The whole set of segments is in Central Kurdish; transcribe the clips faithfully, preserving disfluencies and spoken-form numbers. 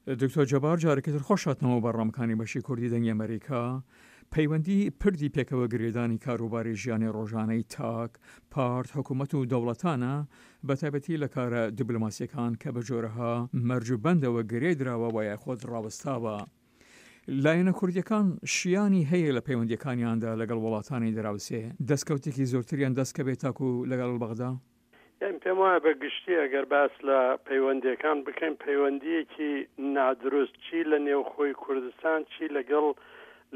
دکتۆر جەبار جارێکی تر خۆش هاتنەوە بەرنامەکانی بەشی کوردی دەنگی ئەمەریکا. پەیوەندی پردی پێکەوە گرێدانی کاروباری ژیانی ڕۆژانەی تاک، پارت، حکوومەت و دەوڵەتانە، بە تایبەتی لە کارە دیبلۆماسیەکان کە بە جۆرەها مەرج و بەندەوە گرێ دراوە وە یاخود ڕاوەستاوە. لایەنە کوردیەکان شیانی هەیە لە پەیوەندیەکانیاندا لەگەڵ وڵاتانی دراوسێ دەستکەوتێکی زۆرتریان دەست کەوێت تاکو لەگەڵ بەغدا؟ یانی پێم وایە بە گشتی ئەگەر باس لە پەیوەندیەکان بکەین، پەیوەندیەکی نادروست چی لە نێوخۆی کوردستان چی لەگەڵ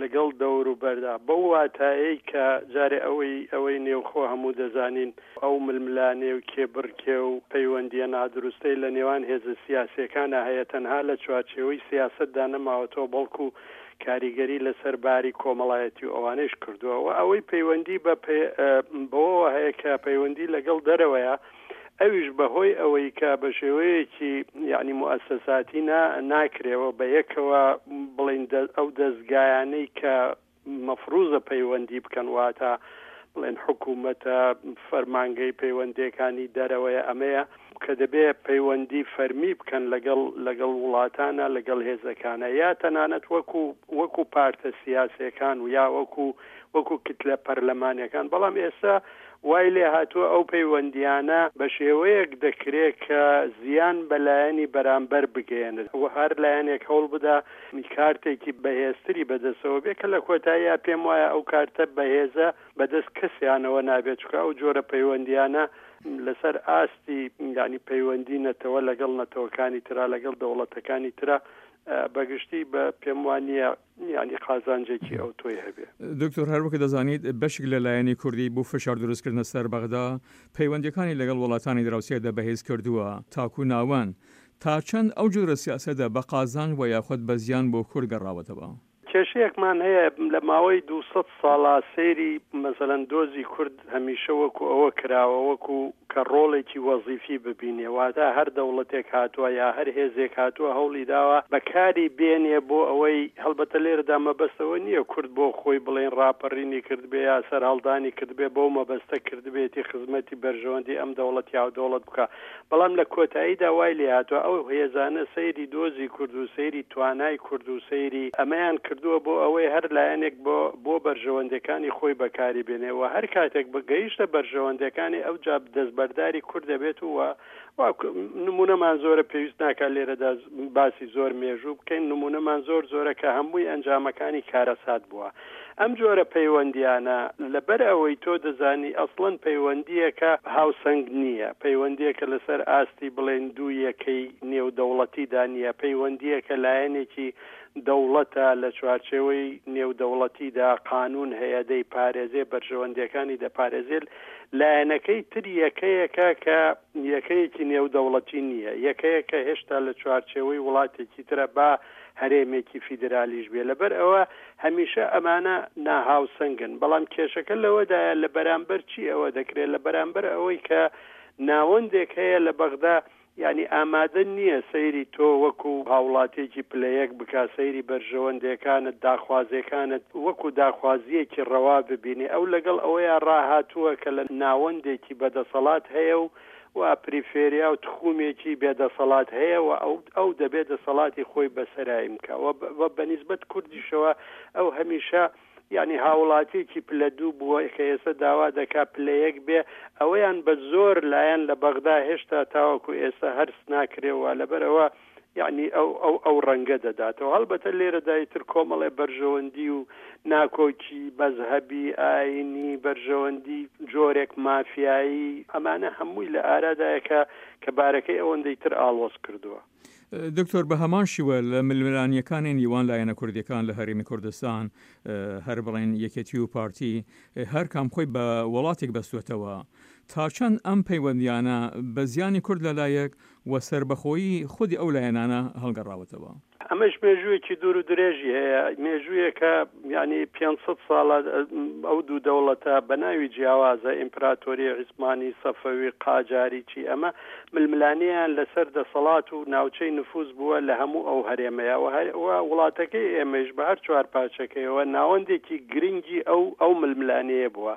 لەگەڵ دەوروبەردا، بەو واتایەی کە جارێ ئەوەی ئەوەی نێوخۆ هەموو دەزانین ئەو ململانێ و کێبڕکێ و پەیوەندیە نادروستەی لە نێوان هێزە سیاسیەکانا هەیە تەنها لە چوارچێوەی سیاسەتدا نەماوەتەوە بەڵکو کاریگەری لەسەر باری کۆمەڵایەتی و ئەوانەیش کردووە و ئەوەی پەیوەندی بە بەوەوە هەیە کە پەیوەندی لەگەڵ دەرەوەیە ئەویش بەهۆی ئەوەی کە بە شێوەیەکی یعنی موئەسەساتی نا ناکرێەوە بە یەکەوە بڵین ئەو دەزگایانەی کە مەفروزە پەیوەندی بکەن، واتە بڵێن حکوومەتە، فەرمانگەی پەیوەندیەکانی دەرەوەیە، ئەمەیە کە دەبێ پەیوەندی فەرمی بکەن لەگەڵ لەگەڵ وڵاتانە، لەگەڵ هێزەکانە، یا تەنانەت وەکو وەکو پارتە سیاسیەکان و یا وەکو وەکو کتلە پەرلەمانیەکان. بەڵام ئێستا وای لێ هاتووە ئەو پەیوەندیانە بە شێوەیەک دەکرێت کە زیان بە لایەنی بەرامبەر بگەیەنێت و هەر لایەنێک هەوڵ بدا کارتێکی بەهێزتری بەدەستەوە بێ، کە لە کۆتاییا پێم وایە ئەو کارتە بەهێزە بەدەست کەسیانەوە نابێت، چونکە ئەو جۆرە پەیوەندیانە لەسەر ئاستی یعنی پەیوەندی نەتەوە لەگەڵ نەتەوەکانی ترا، لەگەڵ دەوڵەتەکانی ترا بەگشتی بە پێم وانییە یعنی قازانجێکی ئەوتۆی هەبێ. دکتۆر، هەروەک دەزانیت بەشێک لە لایەنی کوردی بۆ فشار دروستکردنە سەر بەغدا پەیوەندیەکانی لەگەڵ وڵاتانی دراوسێدا بەهێز کردووە تاکو ناوەند. تا چەند ئەو جۆرە سیاسەتە بە قازانج و یاخود بە زیان بۆ کورد گەڕاوەتەوە؟ کێشەیەکمان هەیە لە ماوەی دوو سەد ساڵا سەیری مەسەلەن دۆزی کورد هەمیشە وەکو ئەوە کراوە وەکو کە ڕۆڵێکی وەزیفی ببینێ، واتە هەر دەوڵەتێک هاتووە یا هەر هێزێک هاتووە هەوڵی داوە بەکاری بێنێ بۆ ئەوەی، هەڵبەتە لێرەدا مەبەست ئەوە نییە کورد بۆ خۆی بڵێین ڕاپەڕینی کردبێ یا سەرهەڵدانی کردبێ بەو مەبەستە کردبێتی خزمەتی بەرژەوەندی ئەم دەوڵەت یا دەوڵەت بکا، بەڵام لە کۆتاییدا وای لێهاتووە ئەو هێزانە سەیری دۆزی کورد و سەیری توانای کورد و سەیری ئەمەیان کردووە بۆ ئەوەی هەر لایەنێک بۆ بۆ بەرژەوەندیەکانی خۆی بەکاری بێنێ و هەر کاتێک گەیشتە بەرژەوەندیەکانی ئەوجا دەستبەرداری کورد دەبێت و و نمونەمان زۆرە، پێویست ناکات لێرەدا باسی زۆر مێژوو بکەین، نمونەمان زۆر زۆرە کە هەمووی ئەنجامەکانی کارەسات بووە. ئەم جۆرە پەیوەندیانە لەبەر ئەوەی تۆ دەزانی ئەسڵەن پەیوەندیەکە هاوسەنگ نییە، پەیوەندیەکە لەسەر ئاستی بڵێن دوو یەکەی نێودەوڵەتیدا نییە، پەیوەندیەکە لایەنێکی دەوڵەتە لە چوارچێوەی نێودەوڵەتیدا قانون هەیە دەیپارێزێ، بەرژەوەندیەکانی دەپارێزێت، لایەنەکەی تر یەکەیەکە کە یەکەیەکی نێودەوڵەتی نییە، یەکەیەکە هێشتا لە چوارچێوەی وڵاتێکی ترە با هەرێمێکی فیدرالیش بێ، لەبەر ئەوە هەمیشە ئەمانە ناهاوسەنگن. بەڵام کێشەکە لەوەدایە لە بەرامبەر چی ئەوە دەکرێت، لە بەرامبەر ئەوەی کە ناوەندێک هەیە لە بەغدا یعنی ئامادە نییە سەیری تۆ وەکو هاوڵاتیەکی پلە یەک بکا، سەیری بەرژەوەندیەکانت، داخوازیەکانت وەکو داخوازیەکی ڕەوا ببینێ. ئەو لەگەڵ ئەوەیە ڕاهاتووە کە لە ناوەندێکی بەدەسەڵات هەیە و و پریفێریا و تخومێکی بێدەسەڵات هەیە و ئەو ئەو دەبێت دەسەڵاتی خۆی بەسەرایی بکا. و بەنیسبەت کوردیشەوە ئەو هەمیشە یعنی هاوڵاتیەکی پلە دوو بووە کە ئێستا داوا دەکا پلە یەک بێ، ئەوەیان بە زۆر لایەن لە بەغدا هێشتا تاوەکو ئێستا هەرس ناکرێەوە، لەبەرەوە یعنی ئەو ئەو ئەو ڕەنگە دەداتەوە. هەڵبەتە لێرەدا ئیتر کۆمەڵێ بەرژەوەندی و ناکۆکی مەزهەبی، ئاینی، بەرژەوەندی جۆرێک مافیایی، ئەمانە هەمووی لە ئارادایە کە کە بارەکەی ئەوەندەی تر ئاڵۆز کردووە. دکتۆر، بە هەمان شیوە لە ململانیەکانی نیوان لایەنە کوردیەکان لە هەرێمی کوردستان، هەر بڵێن یەکێتی و پارتی، هەر کام خۆی بە وڵاتێک بەستوێتەوە، تا چەند ئەم پەیوەندیانە بە زیانی کورد لەلایەک و سەربەخۆیی خودی ئەو لایەنانە هەڵگەڕاوەتەوە؟ ئەمەش مێژوویەکی دوور و درێژی هەیە، مێژوویەکە یعنی پێنج سەد ساڵە ئەو دوو دەوڵەتە بە ناوی جیاوازە، ئیمپراتۆری عیسمانی، سەفەوی، قاجاری، چی ئەمە ململانیان لەسەر دەسەڵات و ناوچەی نفوذ بووە لە هەموو ئەو هەرێمەیە و وڵاتەکەی ئێمەش بە هەر چوار پارچەکەیەوە ناوەندێکی گرنگی ئەو ئەو ململانەیە بووە.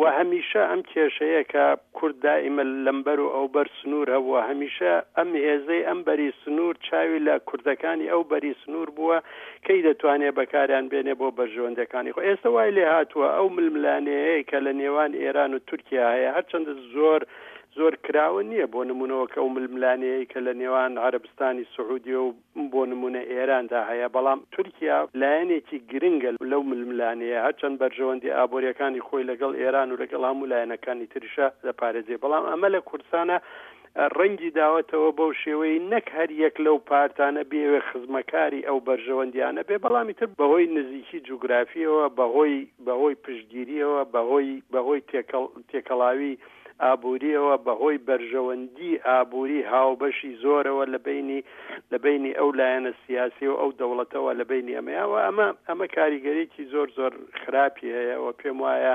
و هەمیشە ئەم کێشەیە کە کورد دائیمە لەمبەر و ئەو بەر سنوور هەبووە، هەمیشە ئەم هێزەی ئەم بەری سنوور چاوی لە کوردەکانی ئەو بەری سنوور بووە کەی دەتوانێت بەکاریان بێنێ بۆ بەرژەوەندەکانی خۆ. ئێستا وای لێ هاتووە ئەو ململانێیە کە لە نێوان ئێران و تورکیا هەیە، هەرچەندە زۆر زۆر کراوە نییە، بۆ نمونەوە کە ئەو ململانێیە کە لە نێوان عەرەبستانی سعودیە و بۆ نمونە ئێراندا هەیە، بەڵام تورکیا لایەنێکی گرنگە لەو ململانێیە، هەرچەند بەرژەوەندی ئابووریەکانی خۆی لەگەڵ ئێران و لەگەڵ هەموو لایەنەکانی تریشە دەپارێزێ، بەڵام ئەمە لە کوردستانە ڕەنگی داوەتەوە بەو شێوەی نەک هەر یەک لەو پارتانە بێوێ خزمەکاری ئەو بەرژەوەندیانە بێ، بەڵامی تر بەهۆی نزیکی جوگرافیەوە، بەهۆی بەهۆی پشتگیریەوە، بەهۆی بەهۆی تێکەڵاوی ئابووریەوە، بەهۆی بەرژەوەندی ئابووری هاوبەشی زۆرەوە لە بینی لە بینی ئەو لایەنە سیاسی و ئەو دەوڵەتەوە لە بینی ئەمەیەوە، ئەمە ئەمە کاریگەریکی زۆر زۆر خراپی هەیە و پێم وایە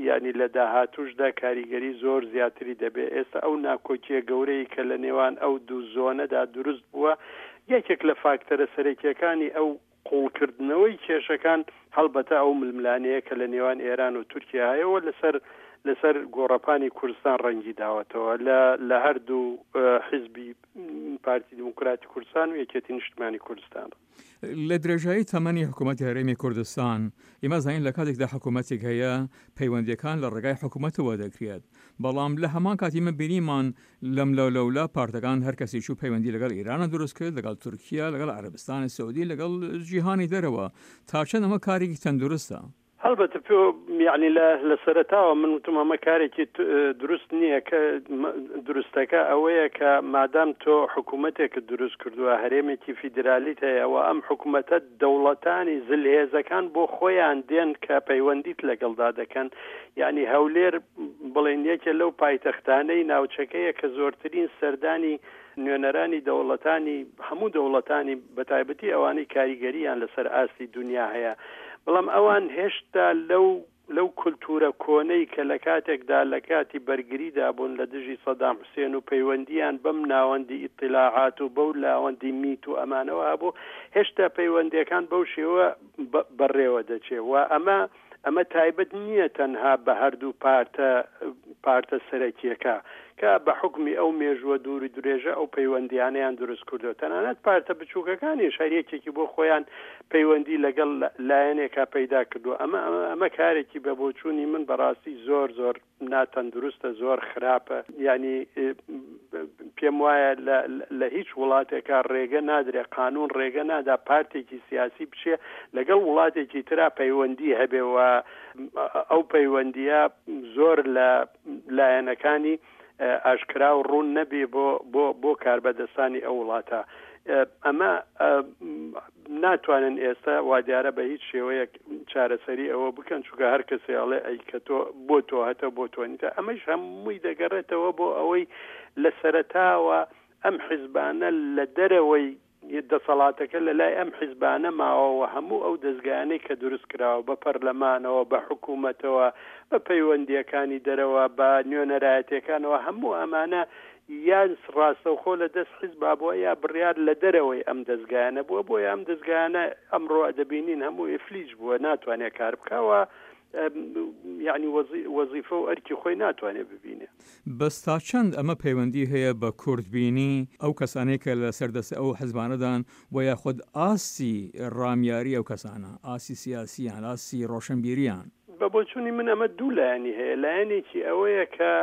یعنی لە داهاتوشدا کاریگەری زۆر زیاتری دەبێت. ئێستا ئەو ناکۆکیە گەورەی کە لە نێوان ئەو دوو زۆنەدا دروست بووە، یەکێک لە فاکتەرە سەرەکیەکانی ئەو قوڵکردنەوەی کێشەکان هەڵبەتە ئەو ململانەیە کە لە نێوان ئێران و تورکیا هەیەوە لەسەر لەسەر گۆڕەپانی کوردستان ڕەنگی داوەتەوە لە لە هەردوو حیزبی پارتی دیموکراتی کوردستان و یەکێتی نیشتمانی کوردستان. لە درێژایی تەمەنی حکوومەتی هەرێمی کوردستان ئێمە زانین لە کاتێکدا حکوومەتێک هەیە پەیوەندیەکان لە ڕێگای حکوومەتەوە دەکرێت، بەڵام لە هەمان کاتی من بینیمان لەم لەو لەولا پارتەکان هەر کەسی چوو پەیوەندی لەگەڵ ئێرانە دروست کرد، لەگەڵ تورکیا، لەگەڵ عەرەبستانی سعودی، لەگەڵ جیهانی دەرەوە. تا چەند ئەمە کارێکی تەندروستە؟ هەڵبەتە پێ یعنی لە سەرەتاوە من وتم ئەمە کارێکی دروست نییە، کە دروستەکە ئەوەیە کە مادام تۆ حکوومەتێکت دروست کردووە، هەرێمێکی فیدرالیت هەیە و ئەم حکوومەتە دەوڵەتانی زلهێزەکان بۆ خۆیان دێن کە پەیوەندیت لەگەڵدا دەکەن. یعنی هەولێر بڵێن یەکێ لەو پایتەختانەی ناوچەکەیە کە زۆرترین سەردانی نوێنەرانی دەوڵەتانی هەموو دەوڵەتانی بەتایبەتی ئەوانەی کاریگەریان لەسەر ئاستی دنیا هەیە، بەڵام ئەوان هێشتا لەو لەو کولتورە کۆنەی کە لە کاتێکدا لە کاتی بەرگریدا بوون لە دژی سەدام حوسێن و پەیوەندیان بەم ناوەندی ئیتلاعات و بەو لاوەندی میت و ئەمانەوە هەبوو، هێشتا پەیوەندیەکان بەو شێوە بەڕێوە دەچێت. و ئەمە ئەمە تایبەت نییە تەنها بە هەردوو پارتە پارتە سەرەکیەکە کە بە حکمی ئەو مێژووە دووری درێژە ئەو پەیوەندیانەیان دروست کردو، تەنانەت پارتە بچووکەکانیش هەر یەکێکی بۆ خۆیان پەیوەندی لەگەڵ لایەنێکا پەیدا کردو. ئەمە ئەمە کارێکی بە بۆچوونی من بەڕاستی زۆر زۆر ناتەندروستە، زۆر خراپە. یعنی پێم وایە لە هیچ وڵاتێکا ڕێگە نادرێ، قانون ڕێگە نادا پارتێکی سیاسی بچێ لەگەڵ وڵاتێکی ترا پەیوەندی هەبێ و ئەو پەیوەندیە زۆر لە لایەنەکانی ئاشکرا و ڕوون نەبێ بۆ بۆ بۆ کاربەدەستانی ئەو وڵاتە. ئەمە ناتوانن ئێستا وادیارە بە هیچ شێوەیەک چارەسەری ئەوە بکەن، چونکە هەر کەسێ ئەڵێ ئەی کە تۆ بۆ تۆ هەتە بۆ تۆ نیتە. ئەمەش هەمووی دەگەڕێتەوە بۆ ئەوەی لە سەرەتاوە ئەم حیزبانە لە دەرەوەی دەسەڵاتەکە لە لای ئەم حیزبانە ماوەوە، هەموو ئەو دەستگایانەی کە دروست کراوە بە پەرلەمانەوە، بە حکوومەتەوە، بە پەیوەندیەکانی دەرەوە، بە نوێنەرایەتیەکانەوە، هەموو ئەمانە یان ڕاستەوخۆ لە دەست حیزبا بووە یا بڕیار لە دەرەوەی ئەم دەستگایانە بووە. بۆیە ئەم دەستگایانە ئەمڕۆ دەبینین هەموو ئیفلیج بووە، ناتوانێت کار بکاوە، یعنی وەزیفە و ئەرکی خۆی ناتوانێت ببینێ. بەس تا چەند ئەمە پەیوەندی هەیە بە کوردبینی ئەو کەسانەی کە لەسەر دەست ئەو حزبانەدان و یاخود ئاستی ڕامیاری ئەو کەسانە، ئاستی سیاسیان، ئاستی ڕۆشنبیریان؟ بە بۆچوونی من ئەمە دوو لایەنی هەیە. لایەنێکی ئەوەیە کە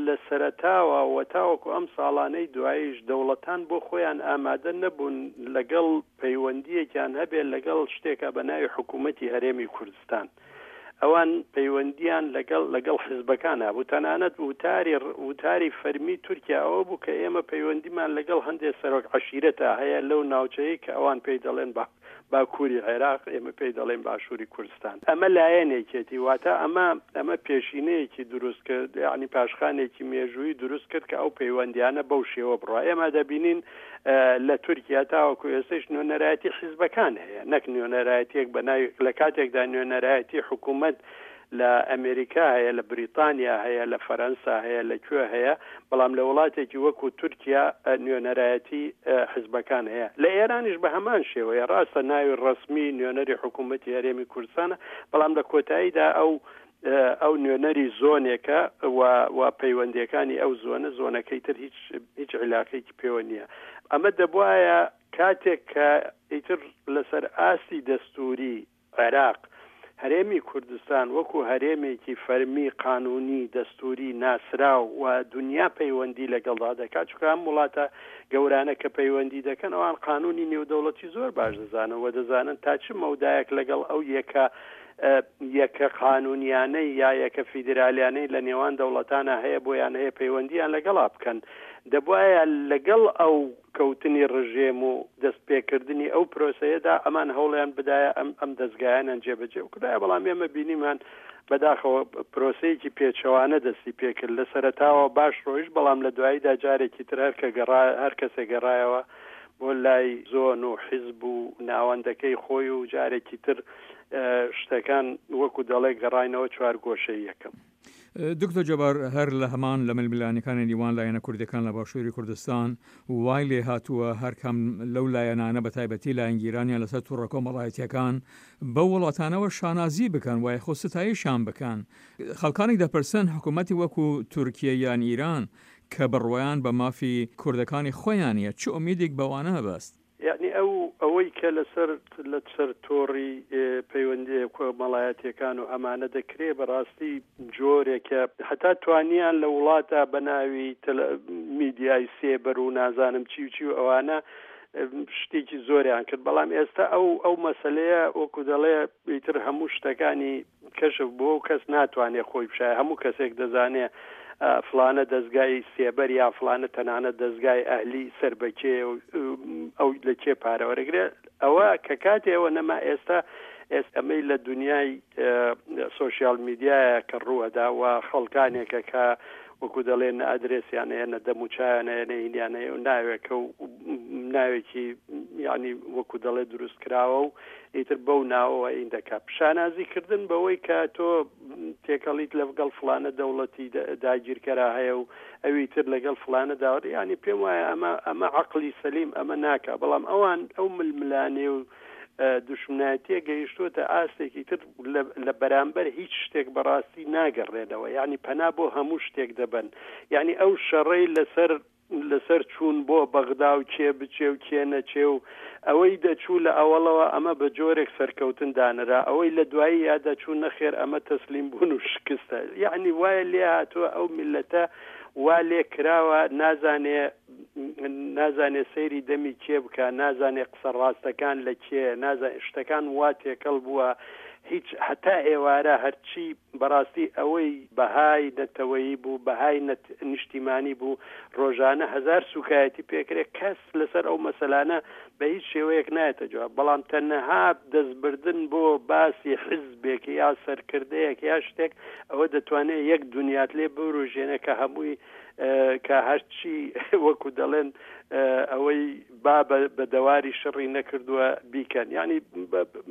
لە سەرەتاوە و تاوەکو ئەم ساڵانەی دواییش دەوڵەتان بۆ خۆیان ئامادە نەبوون لەگەڵ پەیوەندیەکیان هەبێت لەگەڵ شتێکە بە ناوی حکوومەتی هەرێمی کوردستان. ئەوان پەیوەندیان لەگەڵ لەگەڵ حیزبەکان هەبوو. تەنانەت وتاری وتاری فەرمی تورکیا ئەوە بوو کە ئێمە پەیوەندیمان لەگەڵ هەندێک سەرۆک عەشیرەتە هەیە لەو ناوچەیە کە ئەوان پێی دەڵێن باکووری عێراق، ئێمە پێی دەڵێن باشووری کوردستان. ئەمە لایەنێکێتی، واتە ئەمە ئەمە پێشینەیەکی دروست کرد، یعنی پاشخانێکی مێژوویی دروست کرد کە ئەو پەیوەندیانە بەو شێوە بڕوا. ئێمە دەبینین لە تورکیا تاوەکو ئێستاش نوێنەرایەتی حیزبەکان هەیە، نەک نوێنەرایەتیەک بە ناوی لە کاتێکدا نوێنەرایەتی حکوومەت لە ئەمریکا هەیە، لە بریتانیا هەیە، لە فەرەنسا هەیە، لە کوێ هەیە، بەڵام لە وڵاتێکی وەکو تورکیا نوێنەرایەتی حیزبەکان هەیە. لە ئێرانیش بە هەمان شێوەیە، ڕاستە ناوی ڕەسمی نوێنەری حکوومەتی هەرێمی کوردستانە، بەڵام لە کۆتاییدا ئەو ئەو نوێنەری زۆنێکە و و پەیوەندیەکانی ئەو زۆنە، زۆنەکەی تر هیچ هیچ عیلاقەیەکی پێوە نییە. ئەمە دەبوایە کاتێک کە ئیتر لەسەر ئاستی دەستوری عێراق هەرێمی کوردستان وەکو هەرێمێکی فەرمی قانونی دەستوری ناسراو و دنیا پەیوەندی لەگەڵدا دەکات، چونکە ئەم وڵاتە گەورانە کە پەیوەندی دەکەن ئەوان قانونی نێودەوڵەتی زۆر باش دەزانن و دەزانن تا چ مەودایەک لەگەڵ ئەو یەکە یەکە قانونیانەی یا یەکە فیدرالیانەی لە نێوان دەوڵەتانە هەیە بۆیان هەیە پەیوەندیان لەگەڵا بکەن. دەبواە لەگەڵ ئەو کەوتنی ڕژێم و دەستپێکردنی ئەو پرۆسەیەدا ئەمان هەوڵیان بدایە ئەم ئەم دەستگایانیان جێبەجێ بکردایە، بەڵام ئێمە بینیمان بەداخەوە پرۆسەیەکی پێچەوانە دەستی پێکرد. لە سەرەتاوە باش ڕۆیشت، بەڵام لە دواییدا جارێکی تر هەر کە گەڕا هەر کەسێک گەڕایەوە بۆ لای زۆن و حیزب و ناوەندەکەی خۆی و جارێکی تر شتەکان وەکو دەڵێ گەڕاینەوە چوار گۆشەی یەکەم. دکتۆر جەبار، هەر لە هەمان لە ململانەکانی نێوان لایەنە کوردەکان لە باشووری کوردستان وای لێ هاتووە هەرکام لەو لایەنانە بە تایبەتی لایەنگیرانیان لەسەر تۆڕە کۆمەڵایەتیەکان بەو وڵاتانەوە شانازی بکەن وای خۆ ستایشیان بکەن. خەڵکانێک دەپرسن حکوومەتی وەکو تورکیە یان ئیران کە بڕوایان بە مافی کوردەکانی خۆیانە چ ئومیدێک بەوانە هەبەست؟ یعنی ئەو ئەوەی کە لەسەر لەسەر تۆڕی پەیوەندی کۆمەڵایەتیەکان و ئەمانە دەکرێ بەڕاستی جۆرێکە هەتا توانیان لە وڵاتە بە ناوی میدیای سێبەر و نازانم چی و چی و ئەوانە شتێکی زۆریان کرد، بەڵام ئێستا ئەو ئەو مەسلەیە وەکو دەڵێ ئیتر هەموو شتەکانی کەشف بووە و کەس ناتوانێت خۆی بشایە. هەموو کەسێک دەزانێ فلانە دەستگای سێبەر یا فلانە تەنانەت دەستگای ئەهلی سەر بەکێ ئەو لە کێ پارە وەرەگرێ. ئەوە کە کاتێ ئەوە نەما ئێستا ئێستا ئەمەی لە دنیای سۆشیال میدیایە کە ڕووەدا و خەڵکانێکە کە وەکو دەڵێن نە ئەدرێسیان هەیە نە دەموچایان هەیە نە هینیان هەیە و ناوێکە و ناوێکی یعنی وەکو دەڵێ دروست کراوە و ئیتر بەو ناوەوە ئین دەکات. شانازیکردن بەوەی کە تۆ تێکەڵیت لەگەڵ فلانە دەوڵەتی داگیرکەرا هەیە و ئەوی تر لەگەڵ فلانە داوە، یعنی پێم وایە ئەمە ئەمە عەقڵی سەلیم ئەمە ناکا. بەڵام ئەوان ئەو ململانێ و دوشمنایەتیە گەیشتووەتە ئاستێکی تر لە بەرامبەر هیچ شتێک بەڕاستی ناگەڕێنەوە، یعنی پەنا بۆ هەموو شتێک دەبن. یعنی ئەو شەڕەی لەسەر لەسەر چوون بۆ بەغدا و کێ بچێ و کێ نەچێ و ئەوەی دەچوو لە ئەوەڵەوە ئەمە بە جۆرێک سەرکەوتن دانرا، ئەوەی لە دوایی یا دەچوو نەخێر ئەمە تەسلیم بوون و شکستە. یعنی وایە لێ هاتووە ئەو میلەتە وا لێ کراوە نازانێ نازانێ سەیری دەمی کێ بکە، نازانێ قسە ڕاستەکان لە کێ، نازانێ شتەکان وا تێکەڵ بووە. هیچ هەتا ئێوارە هەرچی بەڕاستی ئەوەی بەهای نەتەوەیی بوو، بەهای نیشتیمانی بوو، ڕۆژانە هەزار سوکایەتی پێکرێت، کەس لەسەر ئەو مەسەلانە بە هیچ شێوەیەک نایەتە جواب. بەڵام تەنها دەستبردن بۆ باسی حیزبێک یا سەرکردەیەک یا شتێک ئەوە دەتوانێت یەک دنیات لێ بوروژێنە کە هەمووی کە هەرچی وەکو دەڵێن ئەوەی با بە دەواری شڕی نەکردووە بیکەن. یعنی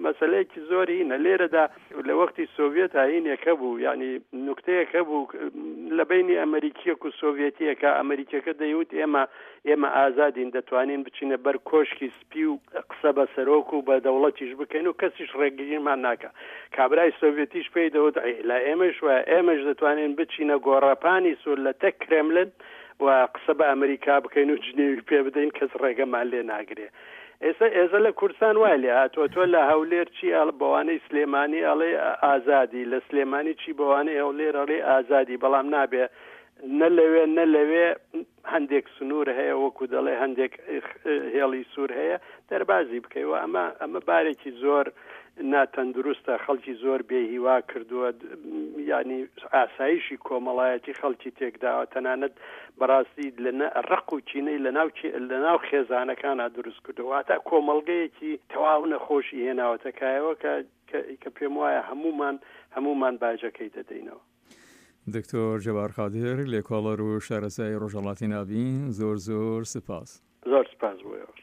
مەسلەیەکی زۆر هینە لێرەدا. لە وەختی سۆڤێت هاینێکە بوو، یعنی نوکتەیەکە بوو لە بینی ئەمریکیەک و سۆڤێتیەکە. ئەمریکیەکە دەیوت ئێمە ئێمە ئازادین، دەتوانین بچینە بەر کۆشکی سپی و قسە بە سەرۆک و بە دەوڵەتیش بکەین و کەسیش ڕێگریمان ناکە. کابرای سۆڤێتیش پێی دەوت لە ئێمەش وایە، ئێمەش دەتوانین بچینە گۆڕەپانی سوور لە تەک کرێملن و قسە بە ئەمریکا بکەین و جنێوی پێ بدەین، کەس ڕێگەمان لێ ناگرێ. ئێستا ئێستا لە کوردستان وای لێ هاتووە، تۆ لە هەولێر چی بەوانەی سلێمانی ئەڵێ ئازادی، لە سلێمانی چی بەوانەی هەولێر ئەڵێ ئازادی، بەڵام نابێ نە لەوێ نە لەوێ هەندێک سنوور هەیە، وەکو دەڵێ هەندێک هێڵی سوور هەیە دەربازی بکەیەوە. ئەمە ئەمە بارێکی زۆر ناتەندروستە، خەڵکی زۆر بێهیوا کردووە، یعنی ئاسایشی کۆمەڵایەتی خەڵکی تێکداوە، تەنانەت بەڕاستی لە ڕق و چینەی لەناو خێزانەکانە دروست کردووە. واتە کۆمەڵگەیەکی تەواو نەخۆشی هێناوەتە کایەوە کە پێم وایە هەمومان هەمومان باجەکەی دەدەینەوە. دکتۆر جەبار قادر، لێکۆڵەر و شارەزای ڕۆژهەڵاتی ناوین، زۆر زۆر سپاس. زۆر سپاس بۆ ئێوەش.